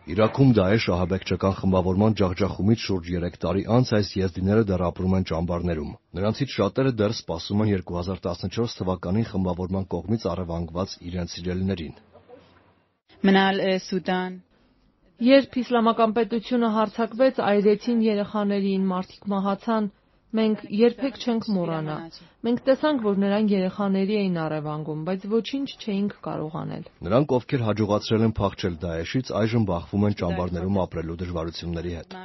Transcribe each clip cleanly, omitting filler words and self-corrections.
Իրաքում Դաեշ ահաբեկչական խմբավորման ջախջախումից շուրջ 3 տարի անց այս եզդիները դեռ ապրում են ճամբարներում։ Նրանցից շատերը դեռ սպասում են 2014 թվականին խմբավորման կողմից առևանգված իրենց սիրելիներին։ Երբ իսլամական պետությունը հարձակվեց, այրեցին երեխաներին, մարդիկ մահացան, մենք երբեք չենք մոռանա։ Մենք տեսանք, որ նրանք երեխաների էին առևանգում, բայց ոչինչ չէինք կարող անել։ Նրանք, ովքեր հաջողացրել են փախչել Դաեշից, այժմ բախվում են ճամբարներում ապրելու դժվարությունների հետ։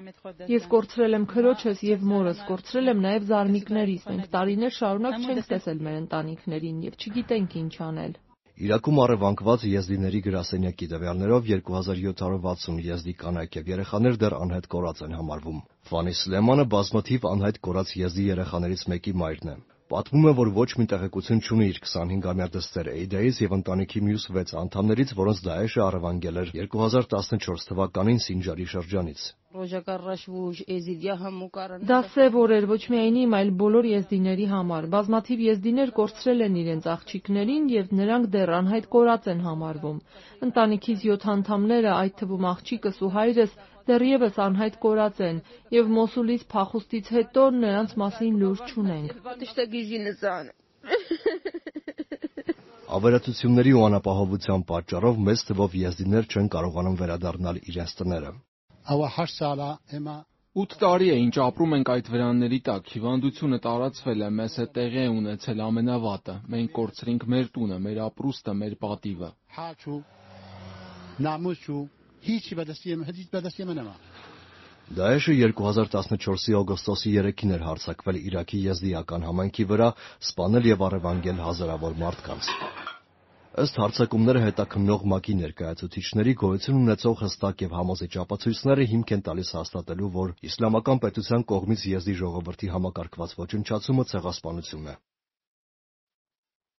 Ես կորցրել եմ քրոջս եւ մորս, կորցրել եմ նաեւ զարմիկներիս։ Մենք տարիներ շարունակ չենք տեսել մեր ընտանիքներին եւ չգիտենք ինչ անել։ Իրաքում առևանգված եզդիների գրասենյակի տվյալներով 2760 եզդի կանայք եւ երեխաներ դեռ անհետ կորած են համարվում։ Ֆանի Սլեմանը բազմաթիվ անհայտ կորած եզդի երեխաներից մեկի մայրն է։ Պատմում է, որ ոչ մի տեղեկություն չունի իր 25-ամյա դստեր Էյդայից եւ ընտանիքի մյուս 6 անդամներից, որոնց Դաեշը առևանգել էր 2014 թվականին Սինջարի շրջանից։ Դա սև օր էր ոչ միայն իմ, այլ բոլոր եզդիների համար։ Բազմաթիվ եզդիներ կորցրել են իրենց աղջիկներին եւ նրանք դեռ անհայտ կորած են համարվում։ Ընտանիքից 7 անդամները, այդ թվում աղջիկս ու հայրս, դեռևս անհայտ կորած են եւ Մոսուլից փախուստից հետո նրանց մասին լուր չունենք։ Ավերածությունների ու անապահովության պատճառով մեծ թվով եզդիներ չեն կարողանում վերադառնալ իրենց տները։ 8 տարի է, ինչ ապրում ենք այդ վրանների տակ, հիվանդությունը տարածվել է, մեզ հետ տեղի է ունեցել ամենավատը, մենք կորցրինք մեր տունը, մեր ապրուստը, մեր պատիվը։ Դաեշը 2014-ի օգոստոսի 3-ին էր հարձակվել Իրաքի եզդիական համայնքի վրա, սպանել եւ առևանգել հազարավոր մարդկանց։ Ըստ հարձակումները հետաքննող ՄԱԿ-ի ներկայացուցիչների գոյություն ունեցող հստակ եւ համոզիչ ապացույցները հիմք են տալիս հաստատելու, որ իսլամական պետության կողմից եզդի ժողովրդի համակարգված ոչնչացումը ցեղասպանություն է։